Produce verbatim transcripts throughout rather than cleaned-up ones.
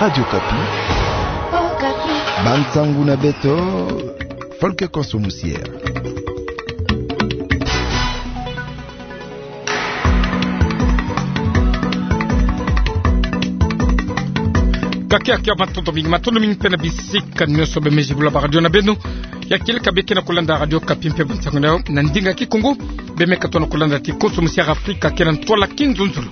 Radio Okapi. Bansangu na beto, Folke Konso Musiere. Kakia kia, matondo mingi, matondo mingi mpe na bisika nyonso bemezi bula baradio na beno. Ya kieleka beke na kulanda Radio Okapi mpe bansangu na yo na ndinga Kikongo. Bemeka tona kulanda ti Konso Musiere Afrika, ke na ntwala kinzonzolo.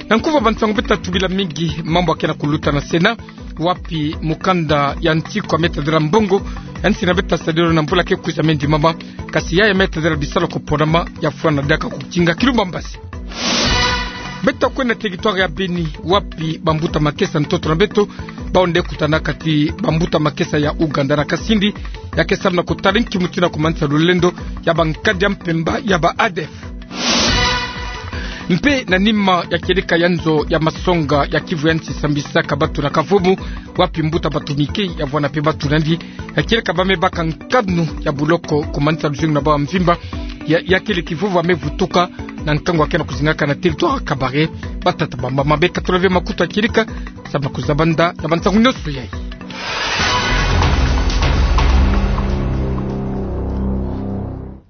Na nkufi bansangu, beta tubila mingi mambu ya ke na kuluta na Sénat, wapi mukanda ya nsiku ya Me Tadila Mbongo ya nsi na beto sadileno na mvula ke kwiza me ndimama, kasi ya, ya Me Tadila bisalu ya kuponama ya fwana diaka ku kinga kilumba mbazi. Beta kwenda territoire ya Beni, wapi bambuta makesa ntoto na beto bawu nde kutana kati bambuta makesa ya Ouganda na Kasindi, ya ke samu na kutala nki mutindu ya kumanisa lulendo ya bankadi ya mpemba ya ba A D F. Mpe na nima ya kieleka ya nzo ya masonga ya Kivu ya nsi sambisaka batu na kavumu, wapi mbuta Batumike ya vwanda mpe batu nandi, ya kieleka ba me baka nkanu ya buloko kumanisa luzingu na bawu ya mvimba, ya, ya kele kivuvu ya me vutuka na nkangu ya ke na kuzingaka na territoire ya Kabare. Batata bamba mabe, katula ve makutu ya kieleka, samu na kuzaba nda ya bansangu nyonso yayi.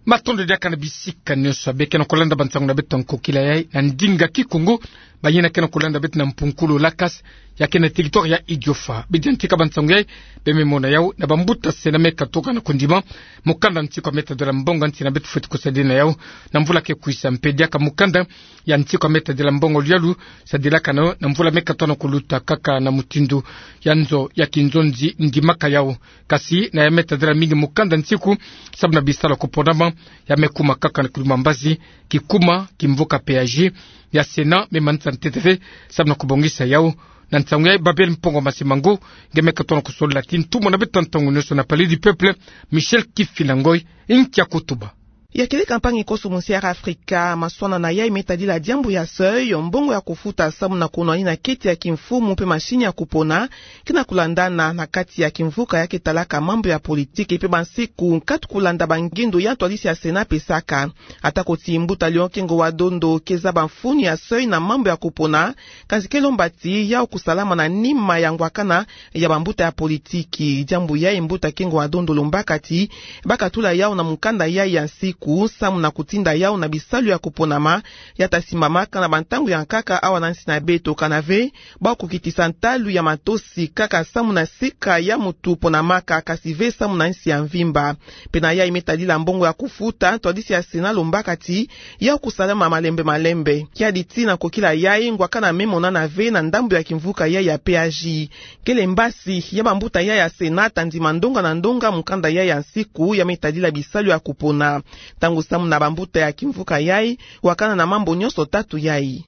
Matondo diaka na bisika nyonso ya beke na kulanda bansangu na beto ya nkokila yayi na ndinga Kikongo. Bayina ke na kulanda beto na mpunkulu Lakas, ya ke na territoire ya Idiofa, bidi yantika bansangu yayi, be me mona yawu na bambuta Sénat me katuka na kundima mukanda nsiku ya Me Tadila Mbongo ya nsi na beto fweti kusadila na yawu na mvula ke kwiza, mpe diaka mukanda ya nsiku ya Me Tadila Mbongo luyalu sadilaka na yo na mvula me katuka na kuluta, kaka na mutindu ya nzo ya kinzonzi ndimaka yawu. Kasi na ya Me Tadila mingi mukanda nsiku samu na bisalu ya kuponama, ya me kuma kaka na kilumba mbazi, kikuma kimvuka P A J ya Sénat me manisa ntete ve samu na kubongisa yawu. Na nsangu yayi, Babel Mpongo Masimango nge me katuka na kusolola ti ntumwa na beto ya ntangu nyonso na Palais du Peuple, Michel Kifila Ngoy, nkia kutuba. Ya kieleka mpangi Konso Musiere Afrika, maswana na yayi me tadila diambu ya seuil, mbongo ya kufuta samu na kunwanina keti ya kimfumu mpe mashini ya kupona, ke na kulandana na kati ya kimvuka ya ke talaka mambu ya politiki, mpe bansiku nkatu kulanda bangindu ya ntwadisi ya Sénat pesaka. Ata ko ti mbuta Léon Kengo wa Dondo ke zaba mfunu ya seuil na mambu ya kupona, kansi ke lomba ti yawu kusalama na nima ya ngwakana ya bambuta ya politiki. Diambu yayi mbuta Kengo wa Dondo lombaka ti ba katula yawu na mukanda yayi ya nsiku samu na kutinda yawu na bisalu ya kuponama ya ta simbamaka na bantangu ya nkaka awa na nsi na beto, kana ve ba kukitisa ntalu ya matosi kaka samu na sika ya mutu ponamaka, kasi ve samu na nsi ya mvimba. Mpe na yayi me tadila mbongo ya kufuta, ntwadisi ya Sénat lombaka ti yawu kusalama malembe malembe. Kiadi ti na kokila yayi, ngwakana me monana ve na ndambu ya kimvuka yayi ya P A J. Kele mbasi ya bambuta yayi ya Sénat ta ndima ndonga na ndonga mukanda yayi ya nsiku ya me tadila bisalu ya kupona, ntangu samu na bambuta ya kimvuka yayi wakana na mambu nyonso tatu yayi.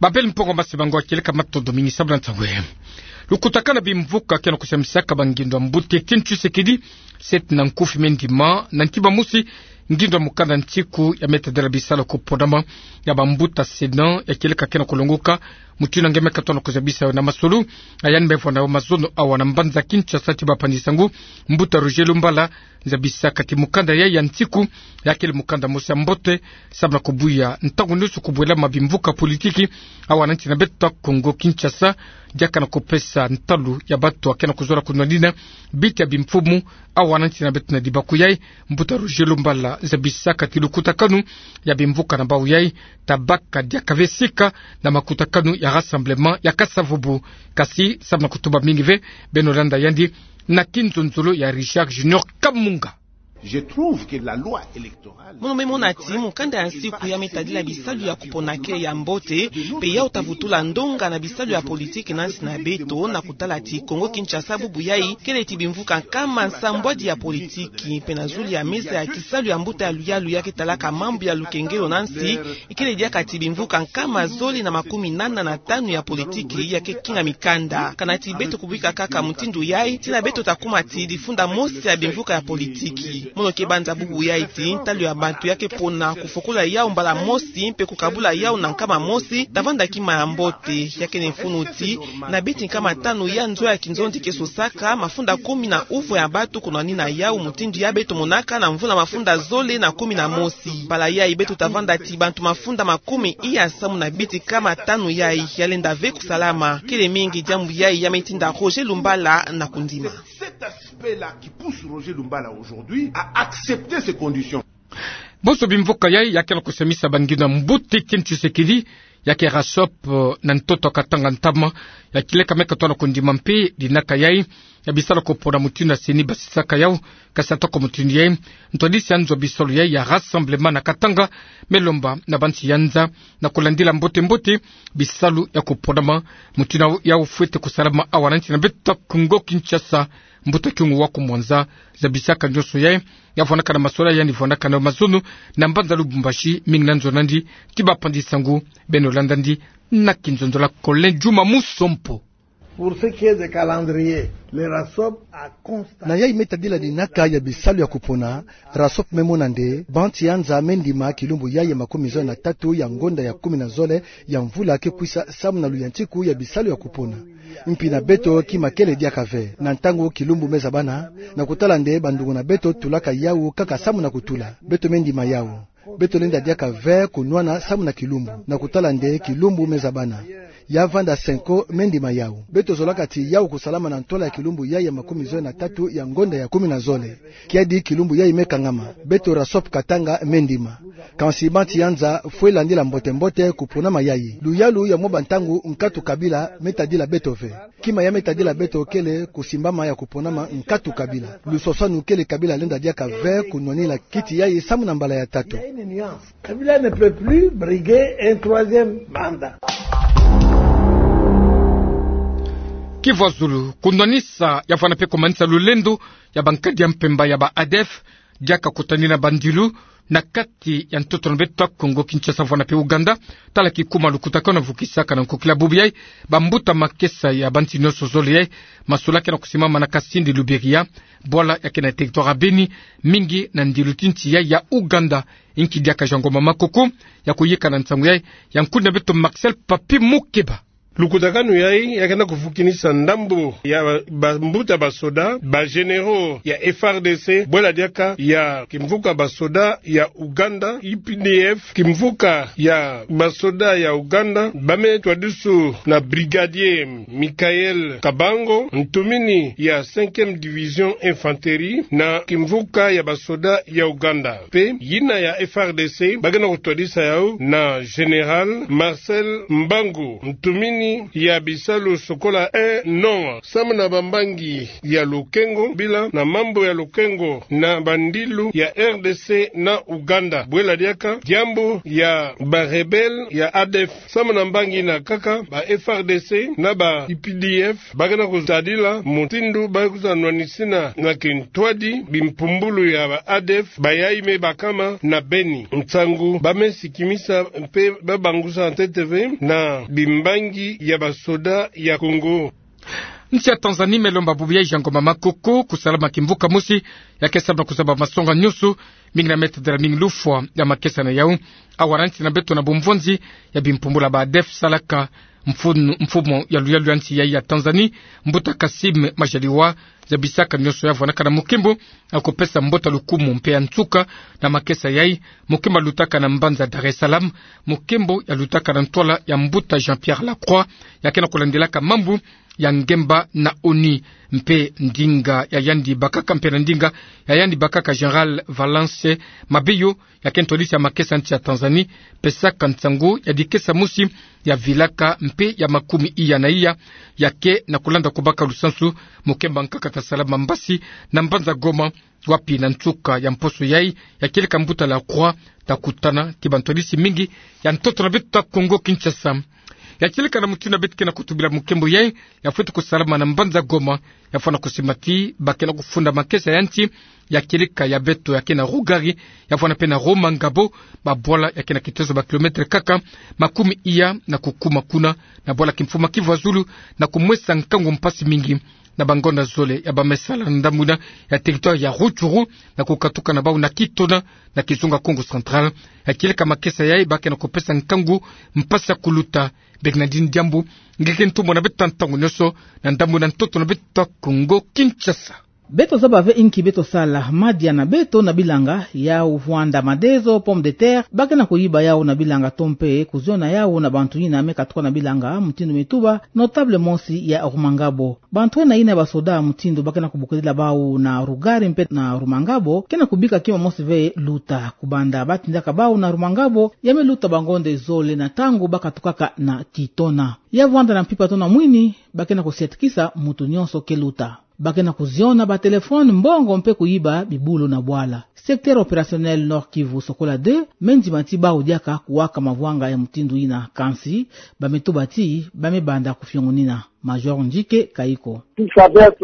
Babel Mpongo Masimango, kieleka matondo mingi samu na nsangu yayi. Lukutakanu ya bimvuka ke na kusambisaka bangindu ya mbuta Étienne Tshisekedi, seti na nkufi me ndima, na ntima mosi ngindu ya mukanda nsiku ya me tadila bisalu ya kuponama ya bambuta Sénat ya kieleka ke na kulongoka, mutindu nge me katuka na kuzabisa yo na masolo ya yandi me vwanda yo mazono awa na mbanza Kinshasa ti bapangi sango, mbuta Roger Lumbala, nzabisaka ti mukanda yayi ya nsiku ya kele mukanda mosi ya mbote samu na kubuya ntangu nyonso kubwelama bimvuka politiki awa na nsi na beto Kongo Kinshasa, diaka na kupesa ntalu ya batu ya ke na kuzola kunwanina biti ya bimfumu awa na nsi na beto. Na dibaku yayi, mbuta Roger Lumbala nzabisaka ti lukutakanu ya bimvuka na bawu yayi ta baka diaka ve sika na makutakanu ya Rassemblement ya Kasa-Vubu. Kasi samu na kutuba mingi ve, beno landa yandi na kinzonzolo ya Richard Junior Kamunga. Je trouve que la loi électorale... Mono me mona ti mukanda ya nsiku ya me tadila bisalu ya kupona kele ya mbote, mpe yawu ta vutula ndonga na bisalu ya politiki na nsi na beto, na kutala ti Kongo Kinshasa bubu yayi kele ti bimvuka nkama nsambwadi ya politiki, mpe na zulu ya meza ya kisalu ya mbuta ya luyalu ya ke talaka mambu ya lukengelo na nsi, ikele diaka ti bimvuka nkama zole na makumi nana na tanu ya politiki ya ke kinga mikanda. Kana ti beto kubika kaka mutindu yayi, tina beto ta kuma ti difunda mosi ya bimvuka ya politiki. Mono ke banza bubu yayi ti ntalu ya bantu ya ke pona kufokola yawu mbala mosi mpe kukabula yawu na nkama mosi, ta vanda kima ya mbote. Ya kene mfunu ti na binti nkama tanu ya nzo ya kinzonzi ke sosaka, mafunda kumi na uvwe ya bantu kunwanina yawu mutindu ya beto monaka na mvula mafunda zole na kumi na mosi. Mbala yayi beto ta vanda ti bantu mafunda makumi iya samu na binti nkama tanu yayi ya lenda ve kusalama. Kele mingi diambu yayi ya me tinda Roger Lumbala na kundima. C'est cet aspect-là qui pousse Roger Lumbala aujourd'hui à accepter ces conditions. Bonso bimvuka yayi ya ke na kusemisa bangindu ya mbuta Etienne Tshisekedi, ya ke Rasop, eh, na ntoto Katanga ntama, ya ke leka me katona kundima mpe dinaka yayi ya bisalu ya kupona mutindu ya CENI basisaka yawu, kasi atako mutindu yayi, ntwadisi ya nzo bisalu yayi ya Rassemblement na Katanga me lomba na bansi ya nza na kulandila mbote-mbote bisalu ya kuponama mutindu yawu fwete kusalama awa na nsi na beto Kongo Kinshasa. Mbuta Kyungu wa Kumwanza zabisaka nyonso yayi, ya vwanakana masolani yandi vwanakana mazono na mbanza Lubumbashi, mingi na nzo nandi, ti bapanzi nsangu beno landa ndi na kinzonzolo. Colin Juma Musompo. Pour ce qui est de calendrier, le Rasop a constaté. Na yayi me tadila dinaka ya bisalu ya kupona, Rasop me mona nde bansi ya nza me ndima kilumbu yayi ya makumi zole na tatu ya ngonda ya kumi na zole ya mvula ke kwisa samu na luyantiku ya bisalu ya kupona. Mpi na beto kima kele diaka ve. Na ntangu kilumbu me zabana, na kutala nde bandungu na beto tulaka yawu kaka samu na kutula, beto me ndima yawu. Beto lenda diaka ve kunwana samu na kilumbu, na kutala nde kilumbu me zabana. Ya vanda senko me ndima yawu. Beto zolaka ti yawu kusalama na ntwala ya kilumbu yayi ya makumi zole na tatu ya ngonda ya kumi na zole. Kiadi kilumbu yayi me kangama, beto Rasop Katanga me ndima. Kansi bansi ya nza fwe landila mbote-mbote kuponama yayi. Luyalu ya mwa bantangu nkatu kabila me tadila beto ve. Kima ya me tadila beto kele kusimbama ya kuponama nkatu kabila. Luswaswanu kele kabila lenda diaka ve kunwanina kiti yayi samu na mbala ya tatu. Kabila ne peut plus briguer un troisième mandat. Kivu ya zulu, kunwanisa ya vwana mpe kumanisa lulendo ya bankadi ya mpemba ya ba ADF, diaka kutanina bandilu na kati ya ntoto na beto Kongo Kinshasa, vwana mpe Ouganda. Tala kikuma lukutakanu vukisaka na nkokila bubu yayi bambuta makesa ya bansi nyonso zole yayi, masolaki na kusimama na Kasindi Luberiha, bwala ya ke na territoire ya Beni, mingi na ndilu ti nsi yayi ya Ouganda. Inki diaka Jean Ngoma Makoko ya kuyika na nsangu yayi, ya nkundi na beto Marcel Papi Mukeba. Lukutakanu yayi ya ke na kuvukinisa ndambu ya ba, bambuta basoda, ba généraux ya F R D C, bwela diaka ya kimvuka basoda ya Ouganda, U P D F, kimvuka ya basoda ya Ouganda, ba me twadiswa na brigadier Michael Kabango, ntumini ya cinquième division infanterie, na kimvuka ya basoda ya Ouganda. Mpe yina ya F R D C, ba ke na kutwadisa yawu na Général Marcel Mbangu, ntumini ya bisalu sokola un non, samu na bambangi ya lokengo, bila na mambu ya lokengo na bandilu ya R D C na Ouganda. Bwela diaka diambu ya ba rebelles ya ADF. Samu na mbangi yina kaka, ba F R D C na ba U P D F ba ke na kutadila mutindu ba ke kwiza nwanisina na kintwadi bimpumbulu ya ba ADF bayayi me bakama na Beni. Nsangu ba me sikimisa mpe ba bangusa ntete ve na bimbangi ya basoda ya Congo. Nsi ya Tanzanie me lomba bubu yayi Jean Ngoma Makoko kusalama kimvuka mosi ya ke samu na kuzaba masonga nyonso, mingi na me tadila mingi lufwa ya makesa na yawu. Awa na nsi na beto na bumvonzi ya bimpumbulu ya ba ADF salaka, mfunu, mfumu ya luyalu ya nsi yayi ya Tanzanie, mbuta Kassim Majaliwa, zabisaka nyonso ya vwanakana mukimbu ya kupesa mbote ya lukumu mpe ya nsuka na makesa yayi, mukimbu ya lutaka na mbanza Dar es Salaam, mukimbu ya lutaka na ntwala ya mbuta Jean-Pierre Lacroix, ya ke na kulandilaka mambu ya ngemba na ONU, mpe ndinga ya yandi bakaka, mpe na ndinga ya yandi bakaka Général Valence Mabeyo, ya ke ntwadisi ya makesa nsi ya Tanzanie, pesaka nsangu ya dikesa mosi ya vilaka mpe ya makumi iya na iya, ya ke na kulanda kubaka lusansu mukimbu ya nkaka ta salama mbasi na mbanza Goma, wapi na nsuka ya mposo yayi ya kieleka mbuta Lacroix ta kutana ti bantwadisi mingi ya ntoto na beto ta Congo Kinshasa. Ya kieleka na mutindu beto ke na kutubila mukembo yayi, ya fweti kusalama na mbanza Goma, ya fwana kusimbati ba ke na kufunda makesa ya nti, ya kieleka ya beto ya ke na Rougari, ya fwana pe na Rumangabo, mabwala ya ke na kitezo ba kilomètre kaka makumi iya na kukuma kuna, na bwala kimfumu Kivu ya Zulu, na kumwesa nkangu mpasi mingi na bangonda zole ya ba me sala na ndambu yina ya territoire ya Rutshuru, na kukatuka na bawu na Kitona, na kizunga Kongo Central. Ya kieleka makesa yayi ba ke na kupesa nkangu mpasi ya kuluta. Bernardine Diambu, ngeke ntumwa na beto ntangu nyonso, na ndambu yina ntoto na beto Kongo Kinshasa. Beto zaba ve inki beto sala, madia na beto na bilanga, yawu vwanda madezo, pomme de terre, ba ke na kuyiba yawu na bilanga to mpe kuziona yawu na bantu yina me katuka na bilanga, mutindu me tuba notable mosi ya Rumangabo. Bantu ena yina ba soda mutindu ba ke na kubokidila bawu na Rougari mpe na Rumangabo, ke na kubika kima mosi ve luta. Kubanda ba tindaka bawu na Rumangabo, ya me luta bangonda zole na ntangu ba katukaka na Kitona. Ya vwanda na mpimpa to na mwini, ba ke na kusiatikisa muntu nyonso ke luta. Ba ke na kuziona ba téléphone, mbongo mpe kuyiba bibulu na bwala. Secteur opérationnel Nord-Kivu Sokola deux me ndima ti bawu diaka kuwaka mavwanga ya mutindu yina, kansi ba me tuba ti ba me banda kufiongonina. Major Njike Kayiko.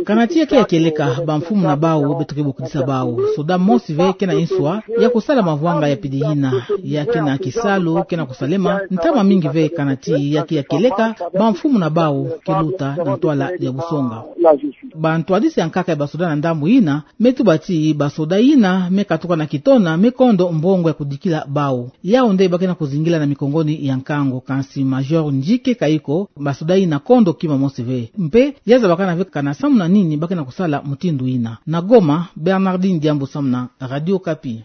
Kana ti ya ke ya kieleka, bamfumu na bawu beto ke bokidisa bawu. Soda mosi ve ke na nswa ya kusala mavwanga ya pidi yina, ya ke na kisalu ke na kusalema ntama mingi ve, kana ti ya ke ya kieleka, bamfumu na bawu ke luta na ntwala ya busonga. Bantwadisi ya nkaka ya basoda na ndambu yina me tuba ti basoda yina me katuka na Kitona me kondo mbongo ya kudikila bawu. Yawu nde ba ke na kuzingila na mikongoni ya nkangu, kansi Major Njike Kayiko, basoda yina kondo kima mosi ve. Mpe ya zabakana ve kana samu na nini ba ke na kusala mutindu yina. Na Goma, Bernardine Diambu samu na Radio Okapi.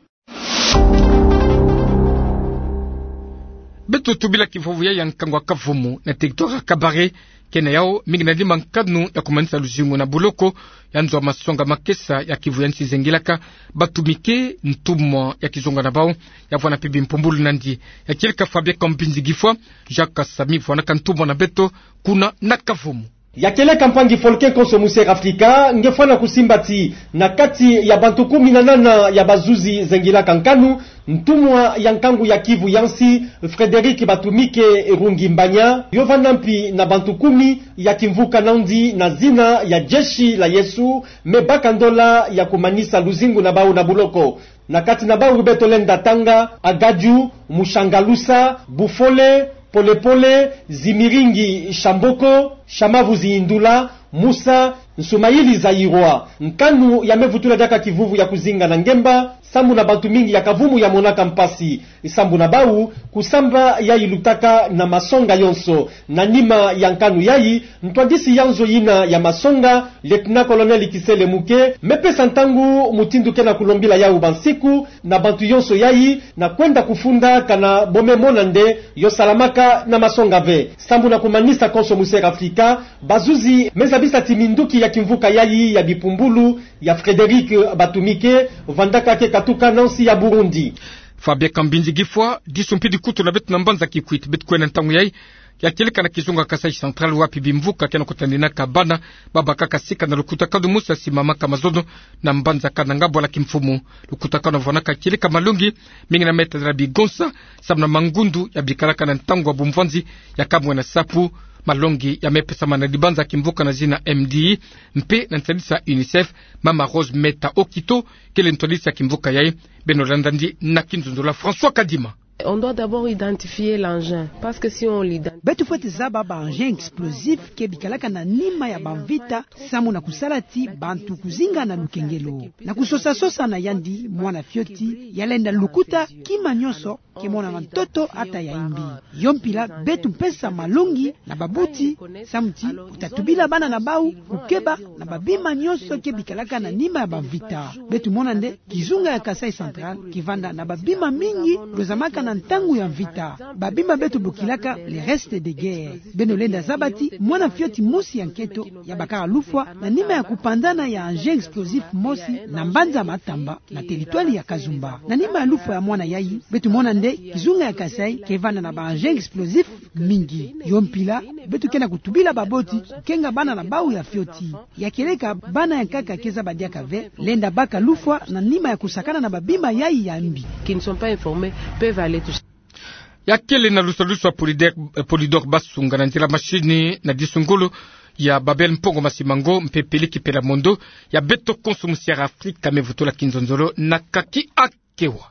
Beto tubila kivuvu ya ya nkangu ya kavumu na territoire ya Kabare, ke na yawu mingi na lima nkanu ya kumanisa luzingu na buloko, ya nzo ya masonga makesa ya Kivu ya nsi zengilaka batumike, ntumwa ya kizunga na bawu, ya vwana mpe bimpumbulu nandi. Ya kieleka Fabien Kambinzi Gifwa, Jacques Kasami vwanaka ntumwa na beto kuna na kavumu. Ya kieleka mpangi Folke Konso Muser Afrika, nge fwana kusimba ti na kati ya bantu kumi na nana ya bazuzi zengilaka nkanu, ntumwa ya nkangu ya Kivu ya nsi, Frédéric Batumike Rungi Mbanya, yo vanda mpi na bantu kumi ya kimvuka nandi na zina ya Jeshi la Yesu, me baka ndola ya kumanisa luzingu na bawu na buloko. Na kati na bawu beto lenda tanga: Agaju, Mushangalusa, Bufole, Polepole, Zimiringi Shamboko, Shamavu Zindula, Musa, Nsumayili Zayirwa. Nkanu ya me vutula diaka kivuvu ya kuzinga na ngemba, samu na bantu mingi ya kavumu ya monaka mpasi. Sambu na bawu, kusamba ya ilutaka na masonga yonso. Na nima ya nkanu yayi, ntwadisi ya nzo yina ya masonga, Lieutenant-colonel Kisele Muke, me pesa ntangu mutindu ke na kulombila yawu bansiku na bantu yonso yayi, na kwenda kufunda kana bo me mona nde yo salamaka na masonga ve. Sambu na kumanisa Konso Muser Afrika, bazuzi me zabisa ti minduki ya kimvuka yayi ya bimpumbulu ya Frédéric Batumike, vandaka ke katuka na nsi ya Burundi. Fabien Kambinzi Gifwa, disu mpi dikutu na beto na mbanza Kikwit, beto kwenda ntangu yayi. Ya kieleka na kizunga Kasaï Central, wapi bimvuka ke na kutandinaka bana, babakaka sika na lukutakanu mosi ya simamaka mazono na mbanza Kananga, bwala kimfumu. Lukutakanu vwanaka kieleka malongi, mingi na meta na bigonsa, samu na mangundu ya bikalaka na ntangu ya bumvwanzi ya kamwe na sapu. Malongi ya me pesama na dibanza kimvuka na zina M D I, mpe na ntwadisi ya UNICEF, Mama Rose Meta Okito, kele ntwadisi ya kimvuka yayi. Beno landa ndi na kinzunzula François Kadima. On doit d'abord identifier l'engin, parce que si on l'ident- Beto fweti zaba ba engin explosif ke bikalaka na nima ya bamvita, samu na kusala ti bantu kuzinga na lukengelo. Na kusosa-sosa na yandi, mwana fioti ya lenda lukuta kima nyonso ke monana ntoto ata ya imbi. Yo mpila beto mpesa malongi na babuti, samu ti kutatubila bana na bawu, kukeba na babima nyonso ke bikalaka na nima ya bamvita. Beto mona nde kizunga ya Kasaï Central ke vanda na babima mingi lozamaka na ntangu ya mvita. Babima beto bokilaka les restes de guerre. Beno lenda zaba ti mwana fioti mosi ya nketo ya bakaka lufwa na nima ya kupanzana ya engin explosif mosi na mbanza Matamba, na territoire ya Kazumba. Na nima ya lufwa ya mwana yayi, beto mona nde kizunga ya Kasaï ke vanda na ba engin explosif mingi. Yo mpila, beto ke na kutubila baboti kukenga bana na bawu ya fioti. Ya kieleka bana ya nkaka ke zaba diaka ve, lenda baka lufwa na nima ya kusakana na babima yayi ya mbi. Qui ne sont pas informés peuvent aller tout seul. Ya kele na lusalusu a Polidor Basunga na nzila masini na disu ngolo ya Babel Mpongo Masimango mpe Peleki Pela Mondo, ya beto konso musiara Afrika me vutula kinzonzolo na kaki akewa.